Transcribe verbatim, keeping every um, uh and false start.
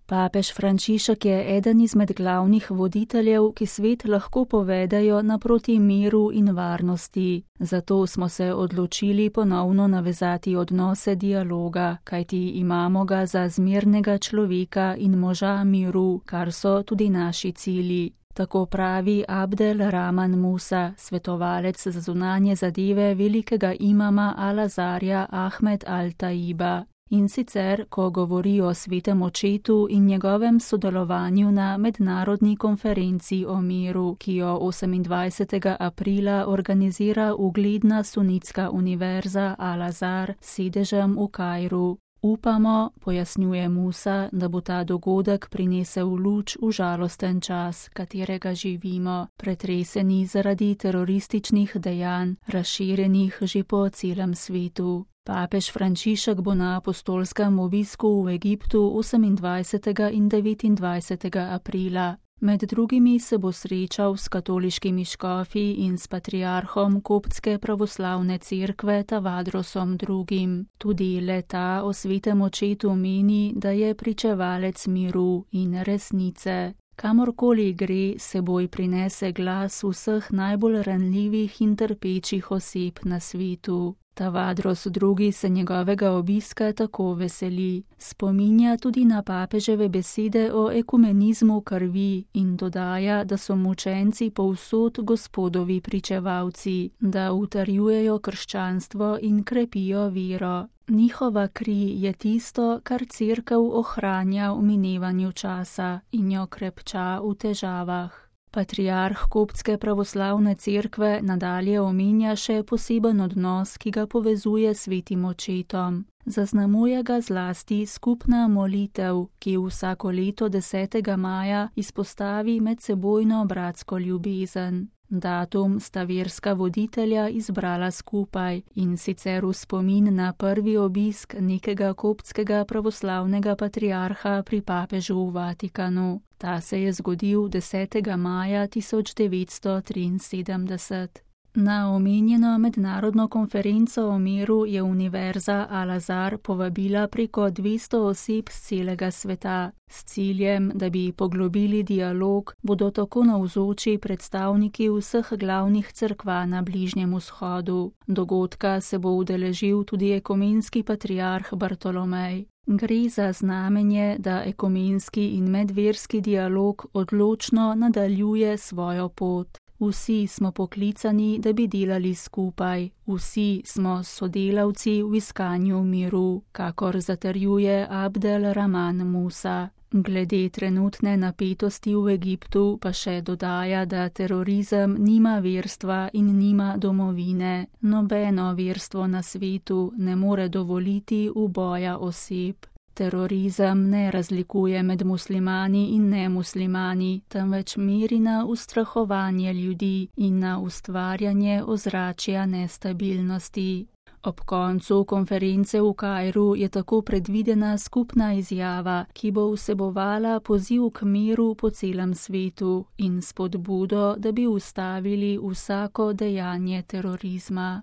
Papež Frančišek je eden izmed glavnih voditeljev, ki svet lahko povedajo naproti miru in varnosti. Zato smo se odločili ponovno navezati odnose dialoga, kajti imamo ga za zmernega človeka in moža miru, kar so tudi naši cilji. Tako pravi Abdel Rahman Musa, svetovalec za zunanje zadeve velikega imama Al-Azharja Ahmed al-Taiba. In sicer, ko govori o svetem očetu in njegovem sodelovanju na mednarodni konferenci o miru, ki jo osemindvajsetega aprila organizira ugledna sunitska univerza Al-Azhar s sedežem v Kairu. Upamo, pojasnjuje Musa, da bo ta dogodek prinesel luč v žalosten čas, katerega živimo, pretreseni zaradi terorističnih dejanj, razširjenih že po celem svetu. Papež Frančišek bo na apostolskem obisku v Egiptu osemindvajsetega in devetindvajsetega aprila. Med drugimi se bo srečal s katoliškimi škofi in s patriarhom Koptske pravoslavne cerkve Tavadrosom drugim. Tudi le-ta o svetem očetu meni, da je pričevalec miru in resnice. Kamorkoli gre, seboj prinese glas vseh najbolj ranljivih in trpečih oseb na svetu. Tavadros drugi se njegovega obiska tako veseli. Spominja tudi na papeževe besede o ekumenizmu krvi in dodaja, da so mučenci povsod Gospodovi pričevalci, da utrjujejo krščanstvo in krepijo vero. Njihova kri je tisto, kar cerkev ohranja v minevanju časa in jo krepča v težavah. Patriarh Koptske pravoslavne cerkve nadalje omenja še poseben odnos, ki ga povezuje s svetim očetom. Zaznamuje ga zlasti skupna molitev, ki vsako leto desetega maja izpostavi medsebojno bratsko ljubezen. Datum sta verska voditelja izbrala skupaj, in sicer v spomin na prvi obisk nekega koptskega pravoslavnega patriarha pri papežu v Vatikanu. Ta se je zgodil desetega maja tisoč devetsto triinsedemdeset. Na omenjeno mednarodno konferenco o miru je univerza Al-Azhar povabila preko dvesto oseb z celega sveta. S ciljem, da bi poglobili dialog, bodo tako navzoči predstavniki vseh glavnih cerkva na Bližnjem vzhodu. Dogodka se bo udeležil tudi ekumenski patriarh Bartolomej. Gre za znamenje, da ekumenski in medverski dialog odločno nadaljuje svojo pot. Vsi smo poklicani, da bi delali skupaj, vsi smo sodelavci v iskanju miru, kakor zatrjuje Abdel Rahman Musa. Glede trenutne napetosti v Egiptu pa še dodaja, da terorizem nima verstva in nima domovine. Nobeno verstvo na svetu ne more dovoliti uboja oseb. Terorizem ne razlikuje med muslimani in nemuslimani, temveč meri na ustrahovanje ljudi in na ustvarjanje ozračja nestabilnosti. Ob koncu konference v Kairu je tako predvidena skupna izjava, ki bo vsebovala poziv k miru po celem svetu in spodbudo, da bi ustavili vsako dejanje terorizma.